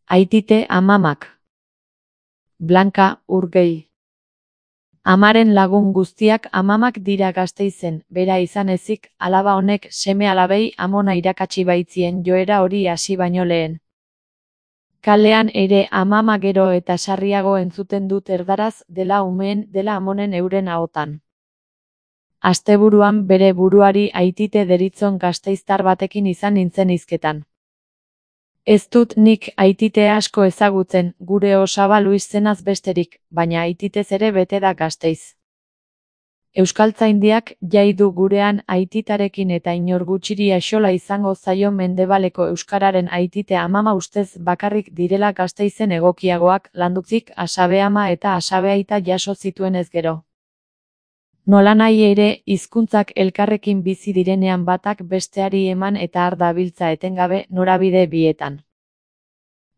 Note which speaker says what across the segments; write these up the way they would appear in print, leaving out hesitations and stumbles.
Speaker 1: Aitite amamak. Blanka Urgei. Amaren lagun guztiak amamak dira Gasteizen, bera izan ezik, alaba honek seme alabei amona irakatsi baitzien joera hori hasi baino lehen. Kalean ere amama gero eta sarriago entzuten dut erdaraz, dela umeen, dela amonen euren ahotan. Asteburuan bere buruari Aitite deritzon gasteiztar batekin izan nintzen hizketan. Ez dut nik Aitite asko ezagutzen, gure osaba Luis zenaz besterik, baina Aititez ere bete da Gasteiz. Euskaltzaindiak jai du gurean Aititarekin eta inor gutxiri axola izango zaio mendebaleko euskararen Aitite amama ustez bakarrik direla Gasteizen egokiagoak, landutzik Asabe ama eta Asabe aita jaso zituenez gero. Nolanahi ere, hizkuntzak elkarrekin bizi direnean batak besteari eman eta har dabiltza etengabe norabide bietan.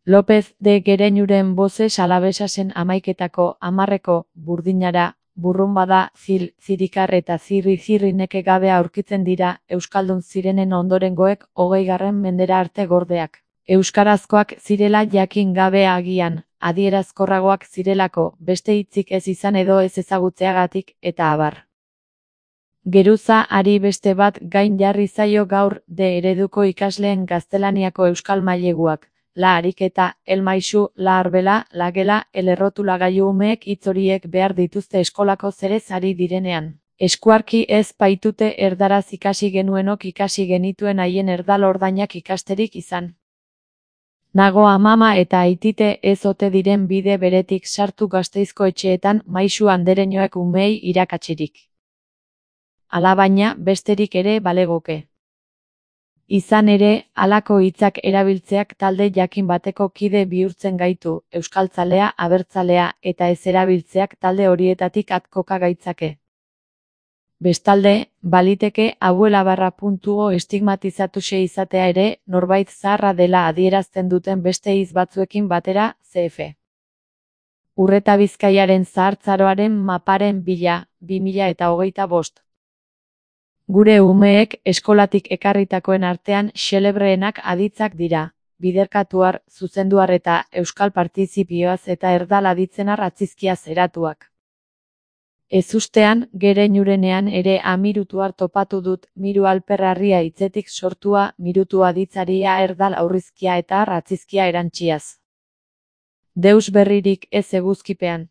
Speaker 1: López de Gereñuren bozes alabesasen amaiketako, amarreko, burdinara, burrunbada, zirikar eta zirri neke gabe aurkitzen dira, euskaldun zirenen ondorengoek 20. mendera arte gordeak. Euskarazkoak zirela jakin gabe agian, adierazkorragoak zirelako, beste hitzik ez izan edo ez ezagutzeagatik, eta abar. Geruza ari beste bat gain jarri zaio gaur de ereduko ikasleen gaztelaniako euskal maileguak, la ariketa, el maisu, la arbela, la gela, el errotulagailu umeek hitz horiek behar dituzte eskolako zerez ari direnean. Eskuarki ez baitute erdaraz ikasi genuenok ikasi genituen haien erdal ordainak ikasterik izan. Nago amama eta Aitite ez ote diren bide beretik sartu Gasteizko etxeetan maisu andereñoek umeei irakatsirik. Alabaina besterik ere balegoke. Izan ere, halako hitzak erabiltzeak talde jakin bateko kide bihurtzen gaitu, euskaltzalea, abertzalea, eta ez erabiltzeak talde horietatik at koka gaitzake. Bestalde, baliteke abuela_.o estigmatizatuse izatea ere, norbait zaharra dela adierazten duten beste hitz batzuekin batera, cf. Urreta Bizkaiaren zahartzaroaren maparen bila, 2025. Gure umeek eskolatik ekarritakoen artean xelebreenak aditzak dira, biderkatuar, zuzenduar eta euskal partizipioaz eta erdal aditzenar atzizkiaz eratuak. Ezustean, Gereñurenean ere amirutuar topatu dut, miru alperrarria hitzetik sortua, mirutu aditzaria erdal aurrizkia eta atzizkia erantziaz. Deus berririk ez eguzkipean.